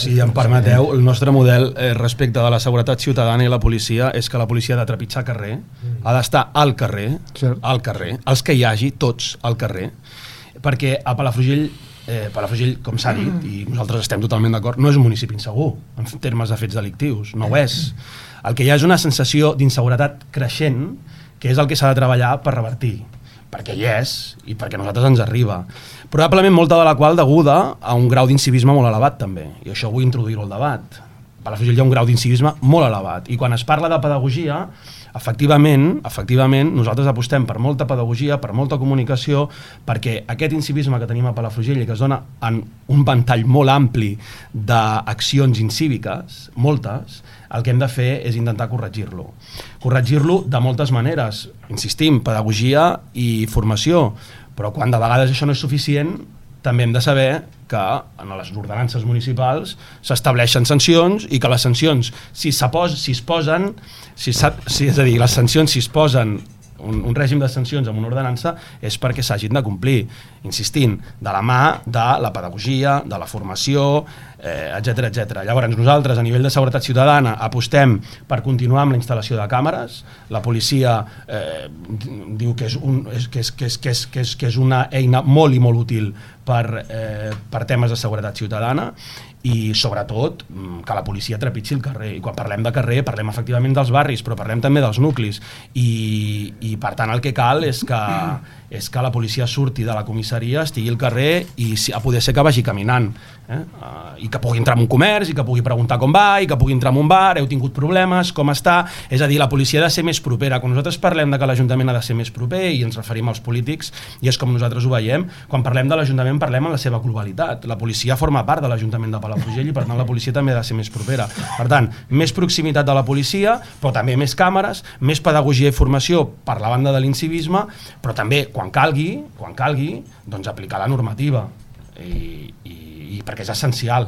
Si em permeteu, el nostre model respecte de la seguretat ciutadana i la policia és que la policia ha de trepitjar carrer, ha d'estar al carrer, els que hi hagi, tots al carrer, perquè a Palafrugell, com s'ha dit, i nosaltres estem totalment d'acord, no és un municipi insegur en termes de fets delictius, no ho és. El que hi ha és una sensació d'inseguretat creixent, que és el que s'ha de treballar per revertir, perquè hi és i perquè a nosaltres ens arriba. Probablement molta de la qual deguda a un grau d'incivisme molt elevat també, i això vull introduir-ho al debat. A Palafrugell hi ha un grau d'incivisme molt elevat, i quan es parla de pedagogia, efectivament, nosaltres apostem per molta pedagogia, per molta comunicació, perquè aquest incivisme que tenim a Palafrugell i que es dona en un ventall molt ampli d'accions incíviques, moltes, el que hem de fer és intentar corregir-lo. Corregir-lo de moltes maneres, insistim, pedagogia i formació, però quan de vegades això no és suficient, també hem de saber que en les ordenances municipals s'estableixen sancions i que les sancions, si es posen un règim de sancions amb una ordenança és perquè s'hagin de complir, insistint, de la mà de la pedagogia, de la formació, etc. Llavors nosaltres a nivell de seguretat ciutadana apostem per continuar amb la instal·lació de càmeres. La policia diu que és una eina molt i molt útil per temes de seguretat ciutadana, i sobretot que la policia trepitgi el carrer, i quan parlem de carrer parlem efectivament dels barris, però parlem també dels nuclis, i per tant el que cal és que la policia surti de la comissaria, estigui al carrer i a poder ser que vagi caminant, i que pugui entrar en un comerç, i que pugui preguntar com va, i que pugui entrar en un bar, heu tingut problemes, com està. És a dir, la policia ha de ser més propera. Quan nosaltres parlem de que l'Ajuntament ha de ser més proper, i ens referim als polítics, i és com nosaltres ho veiem, quan parlem de l'Ajuntament parlem en la seva globalitat. La policia forma part de l'Ajuntament de Palafrugell i per tant la policia també ha de ser més propera. Per tant, més proximitat de la policia, però també més càmeres, més pedagogia i formació per la banda de l'incivisme, però també quan calgui, doncs aplicar la normativa, i perquè és essencial.